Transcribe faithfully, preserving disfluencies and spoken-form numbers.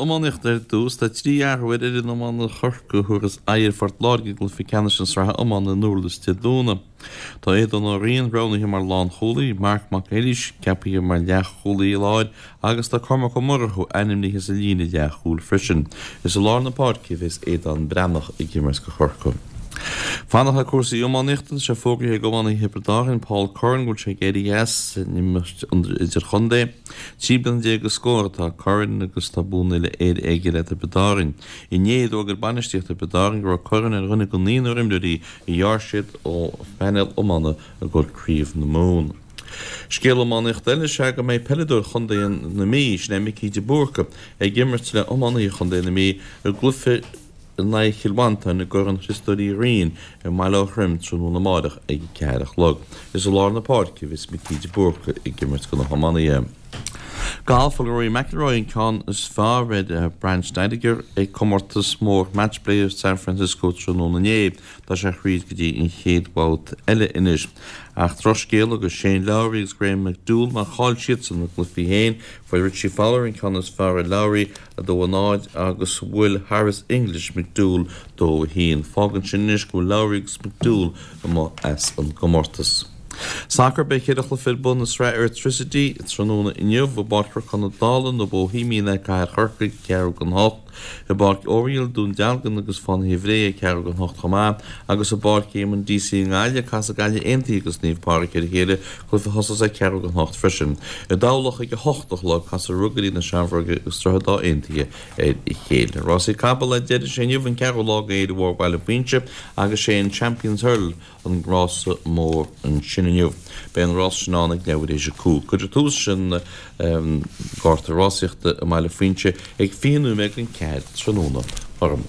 iománaíochta ar dtús. Tá trí athrú ar fhoireann iomána Chorcaí a thabharfas aghaidh ar Phort Láirge i gcluiche ceannais na sraithe iomána i nDurlas Dé Domhnaigh. Tá Aodán Ó Riain roghnaithe mar lánchúlaí, Marc Mac Fhearghuis ceaptha mar leathchúlaí láir agus tá Cormac Ó Murchú ainmnithe sa líne leathchúil freisin. Is i lár na páirce a bheas Aodán Breathnach ag imirt do Chorcaigh. Fanacht le cúrsaí iománaíochta, tá sé fógraithe ag iománaí Thiobraid Árann, Paul Curran, go bhfuil sé ag éirí as an imirt idirchontae. Trí bliana déag is scór atá Curran agus tá buanna uile-Éireann aige le Tiobraid Árann. Inné d'fhógair bainistíocht Thiobraid Árann go raibh Curran ar dhuine den naonúr imreoirí a ghearr siad ó phainéal iomána i gcomhair Craobh na Mumhan. Scéal iománaíochta eile is ea go mbeidh peileadóir chontae na Mí, sin é Micí de Búrca, ag imirt le hiománaithe chontae na Mí i gcluiche in aghaidh Chill Mhantáin i gCorn Chriostóir Uí Rinn i mBaile Átha Troim tráthnóna amárach ag a ceathair a chlog. Is i lár na páirce a bheas Micí de Búrca ag imirt do na hiománaithe. Galf, Fuair Rory McIlroy an ceann is fearr ar Brandt Snedeker ag comórtas mór Matchplay i San Francisco tráthnóna inné. Tá sé thríd go dtí an chéad bhabhta eile anois. Ach drochscéala do Shane Lowry agus Graham McDowell mar chaill siadsan a gcluichí féin. Fuair Richie Fowler an ceann is fearr ar Lowry a dó a náid agus bhuail Harris English McDowell dó a haon. Fágann sin anois go bhfuil Lowry agus McDowell amuigh as an gcomórtas. Sacar beidh ceithre chluiche ar bun i sraith Airtricity tráthnóna inniu i bPáirc Chnoc na Dála na Bohemian ag Cathair Chorcaigh ceathrú don hocht, i bPáirc Oriel Dún Dealgan agus Fánaithe Bhré ag ceathrú don hocht chomh maith, agus i bPáirc Éamonn Deacy i nGaillimh casfaidh Gaillimh Aontaithe agus Naomh Pádraig ar a chéile, cluiche a thosós ag ceathrú don hocht freisin. I dTamhlacht ag a hocht a chlog casfaidh Ruagairí na Seamróige agus Droichead Átha Aontaithe ar a chéile. Rásaí capall le deireadh sé inniu an ceathrú lá d'Fhéile Mhór Bhaile Phuinse agus sé an Champions Hurdle an rása mór ansin inniu. Beidh an rás sin ann ag leathuair tar éis a cúig. Cuirfear tús leis an gcárta rásaíochta i mBaile Phuinse ag fiche nóiméad don ceathair tráthnóna. Orm.